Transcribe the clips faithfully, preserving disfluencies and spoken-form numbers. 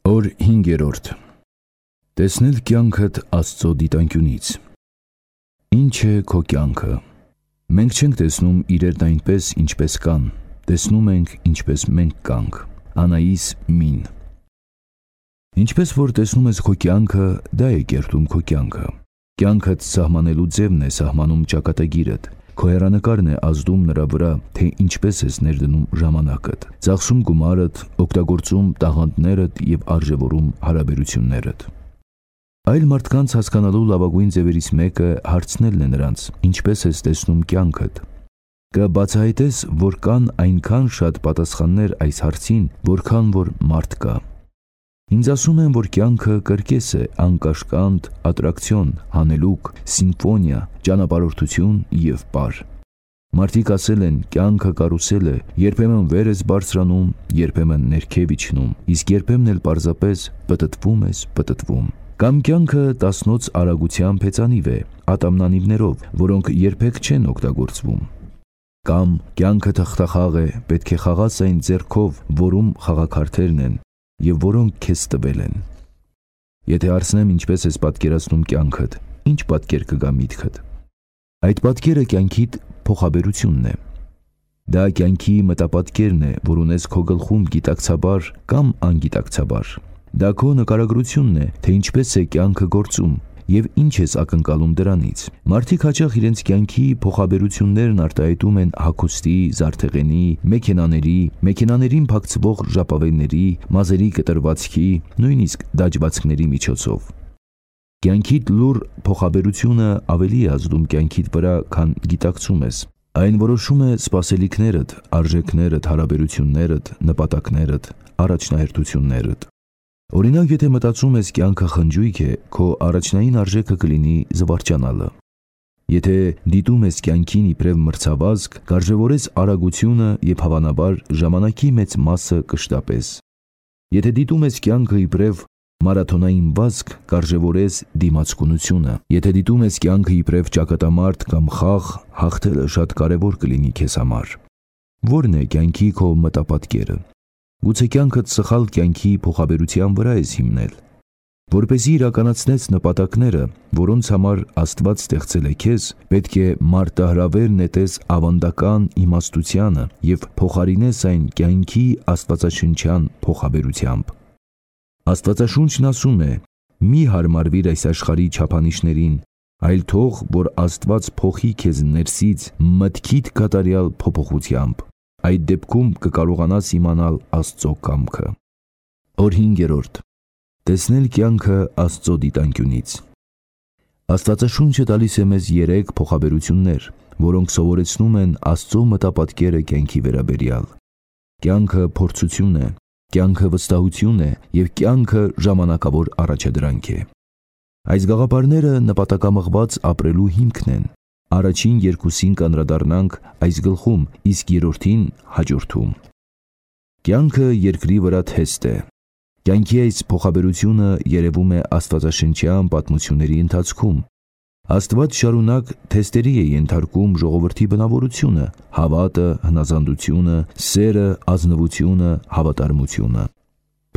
Օր հինգերորդ. Տեսնել կյանքդ Աստծո դիտանկյունից։ Ինչ է քո կյանքը։ Մենք չենք տեսնում իրերն այնպես, ինչպես կան, տեսնում ենք, ինչպես մենք կանք։ Անայիս Մին։ Ինչպես որ տեսնում ես քո կյանքը, դա է կերտում քո կյանքը։ Կյանքդ սահմանելու ձևն է սահմանում ճակատագիրդ։ Քո հեռանկարն է ազդում նրա վրա, թե ինչպես ես ներդնում ժամանակդ, ծախսում գումարդ, օգտագործում տաղանդներդ և արժևորում հարաբերություններդ։ Այլ մարդկանց հասկանալու լավագույն ձևերից մեկը հարցնելն է նրանց, ինչպես ես տեսնում կյանքդ։ Կբացահայտես, որ կան այնքան շատ պատասխաններ այս հարցին, որքան որ մարդ կա։ Ինձ ասում են, որ կյանքը կրկես է, անկաշկանդ, ատրակցիոն, հանելուկ, սիմֆոնիա, ճանապարհորդություն և պար։ Մարդիկ ասել են, կյանքը կարուսել է, երբեմն վեր ես բարձրանում, երբեմն ներքև իջնում, իսկ երբեմն էլ պարզապես պտտվում ես, պտտվում։ Կամ կյանքը տասնոց արագությամբ հեծանիվ է, ատամնանիվներով, որոնք երբեք չեն օգտագործվում։ Կամ կյանքը թղթախաղ է, պետք է խաղաս այն ձեռքով, որում խաղաքարտերն են, և որոնք քեզ տվել են։ Եթե հարցնեմ ինչպես ես պատկերացնում կյանքդ, ինչ պատկեր կգա միտքդ։ Այդ պատկերը կյանքիդ փոխաբերությունն է։ Դա կյանքի մտապատկերն է, որ ունես քո գլխում գիտակցաբար կամ անգիտակցաբար։ Դա քո նկարագրությունն է, թե ինչպես է կյանքը գործում և ինչ ես ակնկալում դրանից։ Մարդիկ հաճախ իրենց կյանքի փոխաբերություններն արտահայտում են հագուստի, զարդեղենի, մեքենաների, մեքենաներին փակցվող ժապավենների, մազերի կտրվածքի, նույնիսկ դաջվածքների միջոցով։ Կյանքիդ լուռ փոխաբերությունը ավելի է ազդում կյանքիդ վրա, քան գիտակցում ես։ Այն որոշում է սպասելիքներդ, արժեքներդ, հարաբերություններդ, նպատակներդ, առաջնահերթություններդ։ Օրինակ, եթե մտածում ես կյանքը խնջույք է, քո առաջնային արժեքը կլինի զվարճանալը։ Եթե դիտում ես կյանքին իբրև մրցավազք, կարժևորես արագությունը և հավանաբար ժամանակի մեծ մասը կշտապես։ Եթե դիտում ես կյանքը իբրև մարաթոնային վազք, կարժևորես դիմացկունությունը։ Եթե դիտում ես կյանքը իբրև ճակատամարտ կամ խաղ, հաղթելը շատ կարևոր կլինի քեզ համար։ Ո՞րն է կյանքի քո մտապատկերը։ Գուցե կյանքդ սխալ կյանքի փոխաբերության վրա ես հիմնել։ Որպեսզի իրականացնես նպատակները, որոնց համար Աստված ստեղծել է քեզ, պետք է մարտահրավեր նետես ավանդական իմաստությանը և փոխարինես այն կյանքի աստվածաշնչյան փոխաբերությամբ։ Աստվածաշունչն ասում է. «Մի հարմարվիր այս աշխարհի չափանիշներին, այլ թող, որ Աստված փոխի քեզ ներսից մտքիդ կատարյալ փոփոխությամբ։ Այդ դեպքում կկարողանաս իմանալ Աստծո կամքը»։ Օր հինգերորդ. Տեսնել կյանքը Աստծո դիտանկյունից։ Աստվածաշունչը տալիս է մեզ երեք փոխաբերություններ, որոնք սովորեցնում են Աստծո մտապատկերը կյանքի վերաբերյալ։ Կյանքը փորձություն է, կյանքը վստահություն է և կյանքը ժամանակավոր առաջադրանք է։ Այս գաղափարները նպատակամղված ապրելու հիմքն են։ Առաջին երկուսին կանդրադառնանք այս գլխում, իսկ երրորդին հաջորդում։ Կյանքը երկրի վրա թեստ է։ Կյանքի այս փոխաբերությունը երևում է աստվածաշնչյան պատմությունների ընթացքում։ Աստված շարունակ թեստերի է ենթարկում ժողովրդի բնավորությունը, հավատը, հնազանդությունը, սերը, ազնվությունը, հավատարմությունը։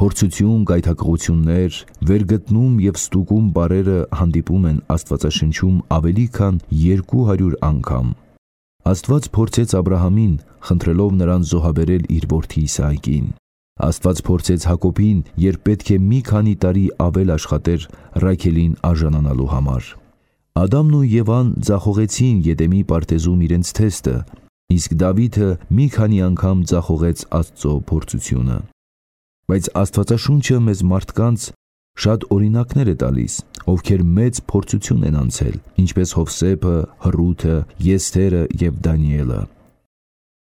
Փորձություն, գայթակղություններ, վերգտնում և ստուգում բառերը հանդիպում են Աստվածաշնչում ավելի քան երկու հարյուր անգամ։ Աստված փորձեց Աբրահամին, խնդրելով նրան զոհաբերել իր որդի Իսահակին։ Աստված փորձեց Հակոբին, երբ պետք է մի քանի տարի ավել աշխատեր Ռաքելին արժանանալու համար։ Ադամն ու Եվան ձախողեցին Եդեմի պարտեզում իրենց թեստը, իսկ Դավիթը մի քանի անգամ ձախողեց Աստծո փորձությունը։ Բայց Աստվածաշունչը մեզ մարդկանց շատ օրինակներ է տալիս, ովքեր մեծ փորձություն են անցել, ինչպես Հովսեփը, Հռութը, Եսթերը և Դանիելը։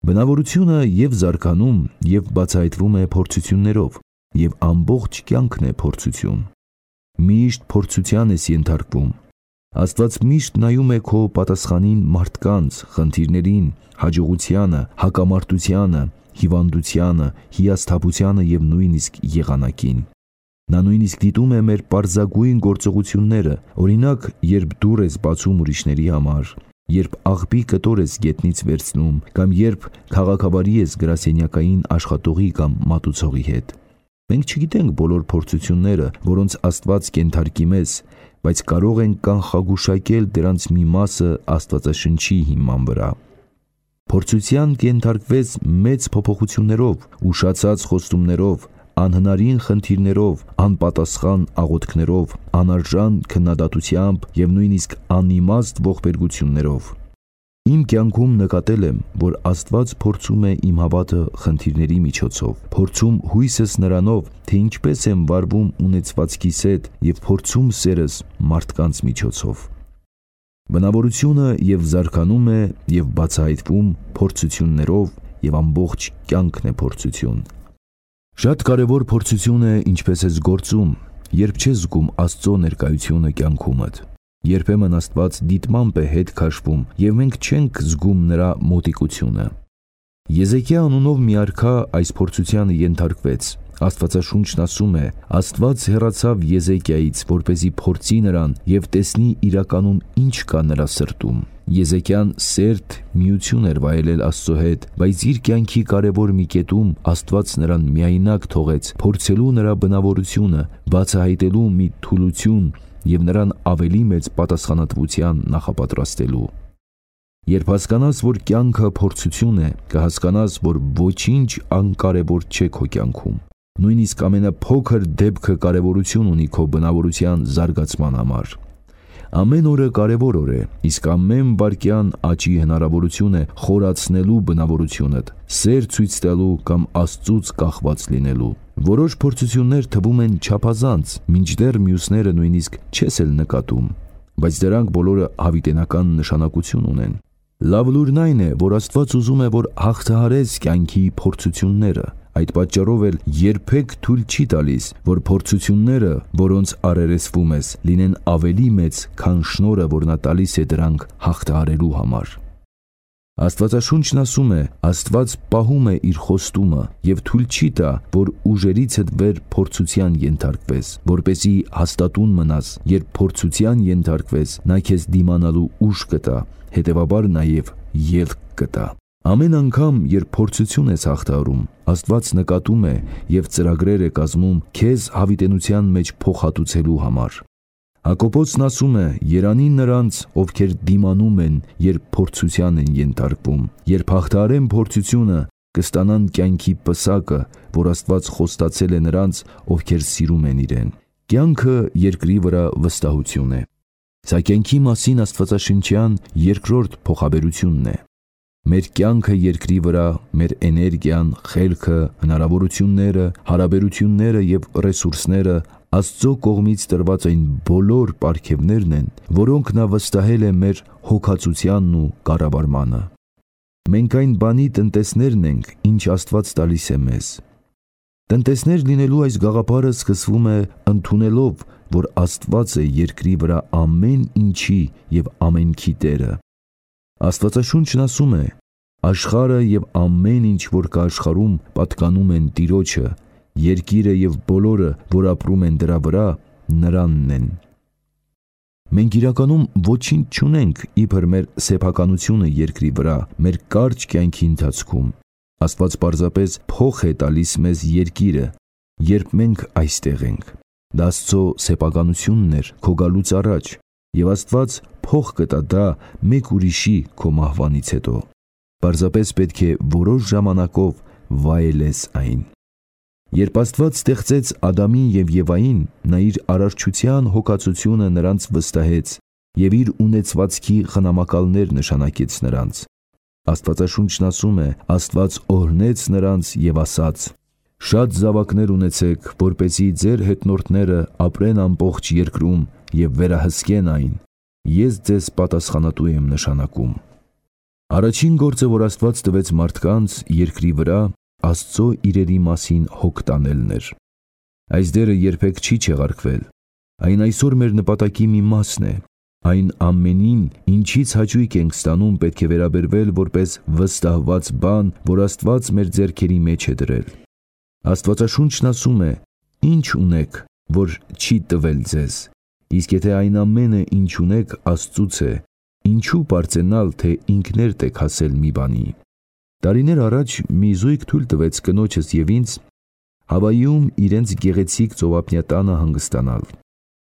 Բնավորությունը և զարգանում, և բացահայտվում է փորձություններով, և ամբողջ կյանքն է փորձություն։ Միշտ փորձության ես ենթարկվում։ Աստված միշտ նայում է քո պատասխանին մարդկանց, խնդիրներին, հաջողությանը, հակամարտությանը, հիվանդությանը, հիասթափությանը և նույնիսկ եղանակին։ Նա նույնիսկ դիտում է մեր պարզագույն գործողությունները, օրինակ, երբ դուռ ես բացում ուրիշների համար, երբ աղբի կտոր ես գետնից վերցնում, կամ երբ քաղաքավարի ես գրասենյակային աշխատողի կամ մատուցողի հետ։ Մենք չգիտենք բոլոր փորձությունները, որոնց Աստված կենթարկի մեզ, բայց կարող ենք կանխագուշակել դրանց մի մասը Աստվածաշնչի հիման վրա։ Փորձության կենթարկվեց մեծ փոփոխություններով, ուշացած խոստումներով, անհնարին խնդիրներով, անպատասխան աղոթքներով, անարժան քննադատությամբ և նույնիսկ անիմաստ ողբերգություններով։ Իմ կյանքում նկատել եմ, որ Աստված փորձում է իմ հավատը խնդիրների միջոցով, փորձում հույսս նրանով, թե ինչպես եմ վարվում ունեցվածքիս հետ և փորձում սերս մարդկանց միջոցով։ Բնավորությունը և զարգանում է և բացահայտվում փորձություններով և ամբողջ կյանքն է փորձություն։ Շատ կարևոր փորձություն է ինչպես ես գործում, երբ չես զգում Աստծո ներկայությունը կյանքումդ։ Երբեմն Աստված դիտմամբ է հետ քաշվում և մենք չենք զգում նրա մոտիկությունը։ Եզեկիա անունով մի արքա այս փորձությանը ենթարկվեց։ Աստվածաշունչն ասում է. Աստված հեռացավ Եզեկիայից, որպեսզի փորձի նրան և տեսնի իրականում ինչ կա նրա սրտում։ Եզեկիան սերտ միություն էր վայելել Աստծո հետ, բայց իր կյանքի կարևոր մի կետում Աստված նրան միայնակ թողեց փորձելու նրա բնավորությունը, բացահայտելու մի թուլություն և նրան ավելի մեծ պատասխանատվության նախապատրաստելու։ Երբ հասկանաս, որ կյանքը փորձություն է, կհասկանաս, որ ոչինչ անկարևոր չէ քո կյանքում։ Նույնիսկ ամենափոքր դեպքը կարևորություն ունի քո բնավորության զարգացման համար։ Ամեն օրը կարևոր օր է, իսկ ամեն վայրկյան աճի հնարավորություն է խորացնելու բնավորությունդ, սեր ցույց տալու կամ Աստծուց կախված լինելու։ Որոշ փորձություններ թվում են չափազանց, մինչդեռ մյուսները նույնիսկ չես էլ նկատում, բայց դրանք բոլորը հավիտենական նշանակություն ունեն։ Լավ լուրն այն է, որ Աստված ուզում է, որ հաղթահարես կյանքի փորձությունները։ Այդ պատճառով էլ երբեք թույլ չի տալիս, որ փորձությունները, որոնց առերեսվում ես, լինեն ավելի մեծ, քան շնորհը, որ նա տալիս է դրանք հաղթահարելու համար։ Աստվածաշունչն ասում է. Աստված պահում է իր խոստումը և թույլ չի տա, որ ուժերիցդ վեր փորձության ենթարկվես, որպեսզի հաստատուն մնաս, երբ փորձության ենթարկվես, նա քեզ դիմանալու ուժ կտա, հետևաբար նաև ելք կտա։ Ամեն անգամ, երբ փորձություն ես հաղթահարում, Աստված նկատում է և ծրագրեր է կազմում քեզ հավիտենության մեջ փոխհատուցելու համար։ Հակոբոսն ասում է. Երանին նրանց, ովքեր դիմանում են, երբ փորձության են ենթարկվում, երբ հաղթահարեն փորձությունը, կստանան կյանքի պսակը, որ Աստված խոստացել է նրանց, ովքեր սիրում են իրեն։ Կյանքը երկրի վրա վստահություն է։ Սա կյանքի մասին աստվածաշնչյան երկրորդ փոխաբերությունն է։ Մեր կյանքը երկրի վրա, մեր էներգիան, խելքը, հնարավորությունները, հարաբերությունները և ռեսուրսները Աստծո կողմից տրված այն բոլոր պարգևներն են, որոնք նա վստահել է մեր հոգացությանն ու կառավարմանը։ Մենք այն բանի տնտեսներն ենք, ինչ Աստված տալիս է մեզ։ Տնտեսներ լինելու այս գաղափարը սկսվում է ընդունելով, որ Աստված է երկրի վրա ամեն ինչի և ամենքի Տերը։ Աստվածաշունչն ասում է. Աշխարհը և ամեն ինչ, որ կա աշխարհում, պատկանում են Տիրոջը, երկիրը և բոլորը, որ ապրում են դրա վրա, նրանն են։ Մենք իրականում ոչինչ չունենք իբր մեր սեփականությունը երկրի վրա, մեր կարճ կյանքի ընթացքում։ Աստված պարզապես փոխ է տալիս մեզ երկիրը, երբ մենք այստեղ ենք։ Դա Աստծո սեփականությունն էր քո գալուց առաջ, և Աստված փոխ կտա դա մեկ ուրիշի քո մահվանից հետո։ Պարզապես պետք է որոշ ժամանակով վայելես այն։ Երբ Աստված ստեղծեց Ադամին և Եվային, նա իր արարչության հոգացությունը նրանց վստահեց և իր ունեցվածքի խնամակալներ նշանակեց նրանց։ Աստվածաշունչն ասում է. Աստված օրհնեց նրանց և ասաց. Շատ զավակներ ունեցեք, որպեսզի ձեր հետնորդները ապրեն ամբողջ երկրում և վերահսկեն այն։ Ես ձեզ պատասխանատու եմ նշանակում։ Առաջին գործը, որ Աստված տվեց մարդկանց երկրի վրա, Աստծո իրերի մասին հոգ տանելն էր։ Այս դերը երբեք չի չեղարկվել։ Այն այսօր մեր նպատակի մի մասն է։ Այն ամենին, ինչից հաճույք ենք ստանում, պետք է վերաբերվել որպես վստահված բան, որ Աստված մեր ձեռքերի մեջ է դրել։ Աստվածաշունչն ասում է. Ինչ ունեք, որ չի տվել ձեզ, իսկ եթե այն ամենը, ինչ ունեք, Աստծուց է, ինչու պարծենալ, թե ինքներդ եք հասել մի բանի։ Տարիներ առաջ մի զույգ թույլ տվեց կնոջս և ինձ Հավայում իրենց գեղեցիկ ծովափնյա տանը հանգստանալ։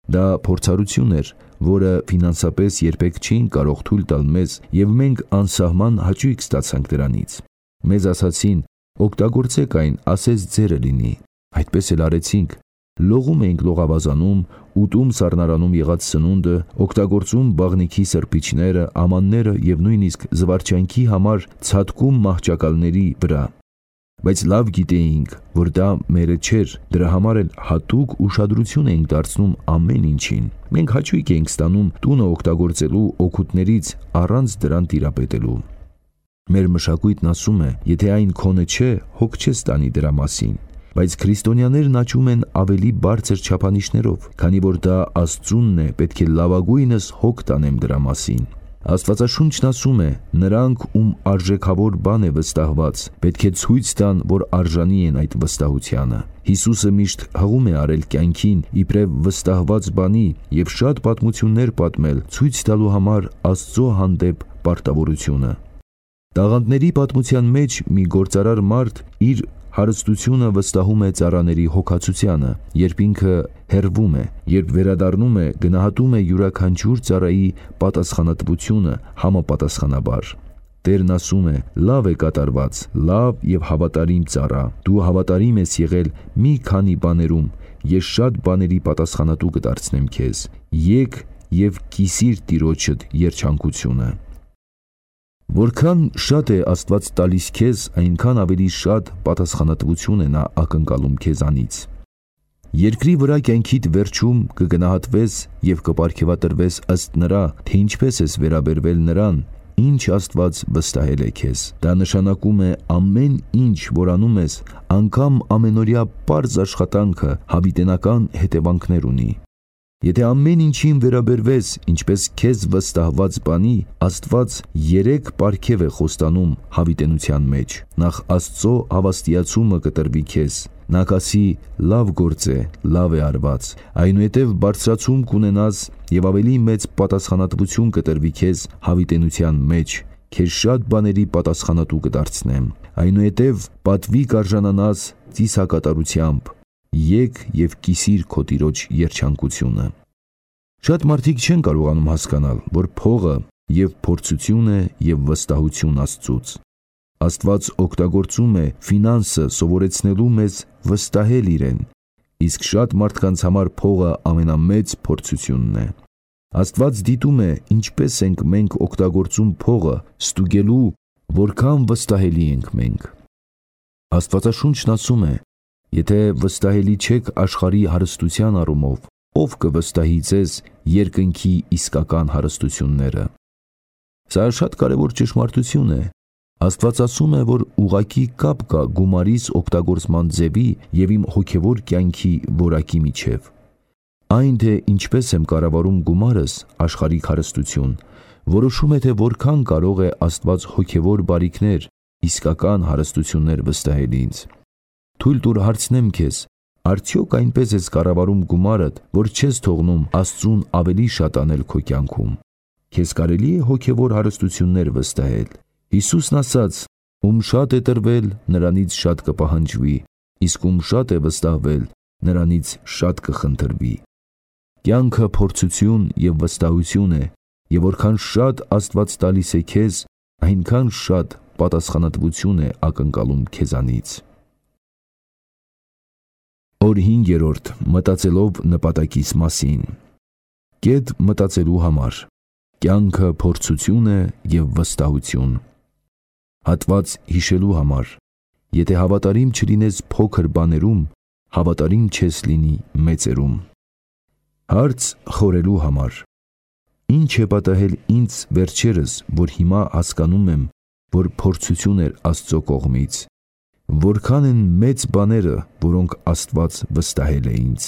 Դա փորձառություն էր, որը ֆինանսապես երբեք չէին կարող թույլ տալ մեզ, եւ մենք անսահման հաճույք ստացանք դրանից։ Մեզ ասացին. օգտագործեք այն, ասես ձերը լինի։ Այդպես էլ արեցինք։ Լողում էինք լողավազանում, ուտում սառնարանում եղած սնունդը, օգտագործում բաղնիքի սրբիչները, ամանները եւ նույնիսկ զվարճանքի համար ցատկում մահճակալների վրա։ Բայց լավ գիտեինք, որ դա մերը չէր, դրա համար էլ հատուկ ուշադրություն էինք դարձնում ամեն ինչին։ Մենք հաճույք էինք ստանում տունը օգտագործելու օգուտներից առանց դրան տիրապետելու։ Մեր մշակույթն ասում է, եթե այն քոնը չէ, հոգ չես տանի դրա մասին։ Բայց քրիստոնյաներն աճում են ավելի բարձր չափանիշներով, քանի որ դա Աստծունն է, պետք է լավագույնս հոգ տանեմ դրա մասին։ Աստվածաշունչն ասում է. նրանք, ում արժեքավոր բան է վստահված, պետք է ցույց տան, որ արժանի են այդ վստահությանը։ Հիսուսը միշտ հղում է արել կյանքին իբրև վստահված բանի եւ շատ պատմություններ պատմել, ցույց տալու համար Աստծո հանդեպ պարտավորությունը։ Տաղանդների պատմության մեջ մի գործարար մարդ իր հարստությունը վստահում է ծառաների հոգացությանը, երբ ինքը հեռվում է, երբ վերադառնում է, գնահատում է յուրաքանչյուր ծառայի պատասխանատվությունը համապատասխանաբար։ Տերն ասում է. լավ է կատարված, լավ եւ հավատարիմ ծառա, դու հավատարիմ ես եղել մի քանի բաներում, ես շատ բաների պատասխանատու կդարձնեմ քեզ, եկ եւ կիսիր տիրոջդ երջանկությունը։ Որքան շատ է Աստված տալիս քեզ, այնքան ավելի շատ պատասխանատվություն է նա ակնկալում քեզանից։ Երկրի վրա կյանքիդ վերջում կգնահատվես եւ կպարգևատրվես ըստ նրա, թե ինչպես ես վերաբերվել նրան, ինչ Աստված վստահել է քեզ։ Դա նշանակում է ամեն ինչ, որ անում ես, անգամ ամենօրյա պարզ աշխատանքը հավիտենական հետևանքներ ունի։ Եթե ամեն ինչին վերաբերվես, ինչպես քեզ վստահված բանի, Աստված երեք պարգև է խոստանում հավիտենության մեջ։ Նախ Աստծո հավաստիացումը կտրվի քեզ։ Նա կասի. լավ գործ է, լավ է արված։ Այնուհետև բարձրացում կունենաս եւ ավելի մեծ պատասխանատվություն կտրվի քեզ հավիտենության մեջ։ Քեզ շատ բաների պատասխանատու կդարձնեմ։ Այնուհետև պատվի կարժանանաս ծիսակատարությամբ։ Եկ եւ կիսիր քո տիրոջ երջանկությունը։ Շատ մարդիկ չեն կարողանում հասկանալ, որ փողը եւ փորձություն է եւ վստահություն Աստծուց։ Աստված օգտագործում է ֆինանսը սովորեցնելու մեզ վստահել իրեն, իսկ շատ մարդկանց համար փողը ամենամեծ փորձությունն է։ Աստված դիտում է, ինչպես ենք մենք օգտագործում փողը, ստուգելու, որքան վստահելի ենք մենք։ Աստվածաշունչն ասում է. եթե վստահելի չեք աշխարհի հարստության առումով, ով կվստահի ձեզ երկնքի իսկական հարստությունները։ Սա շատ կարևոր ճշմարտություն է։ Աստված ասում է, որ ուղղակի կապ կա գումարիս օգտագործման ձևի եւ իմ հոգեվոր կյանքի որակի միջև։ Այն, թե ինչպես եմ կառավարում գումարս, աշխարհիկ հարստություն, որոշում է, թե որքան կարող է Աստված հոգեվոր բարիքներ, իսկական հարստություններ վստահել ինձ։ Թույլ տուր հարցնեմ քեզ. արդյոք այնպես ես կառավարում գումարդ, որ չես թողնում Աստծուն ավելի շատ անել քո կյանքում։ Քեզ կարելի է հոգեվոր հարստություններ վստահել։ Հիսուսն ասաց. ում շատ է տրվել, նրանից շատ կպահանջվի, իսկ ում շատ է վստահվել, նրանից շատ կխնդրվի։ Կյանքը փորձություն եւ վստահություն է, եւ որքան շատ Աստված տալիս է քեզ, այնքան շատ պատասխանատվություն է ակնկալում քեզանից։ Օր հինգերորդ. մտածելով նպատակիս մասին։ Կետ մտածելու համար։ Կյանքը փորձություն է եւ վստահություն։ Հատված հիշելու համար։ Եթե հավատարիմ չլինես փոքր բաներում, հավատարիմ չես լինի մեծերում։ Հարց խորելու համար։ Ինչ է պատահել ինձ վերջերս, որ հիմա հասկանում եմ, որ փորձություն էր Աստծո կողմից։ Որքան են մեծ բաները, որոնք Աստված վստահել է ինձ։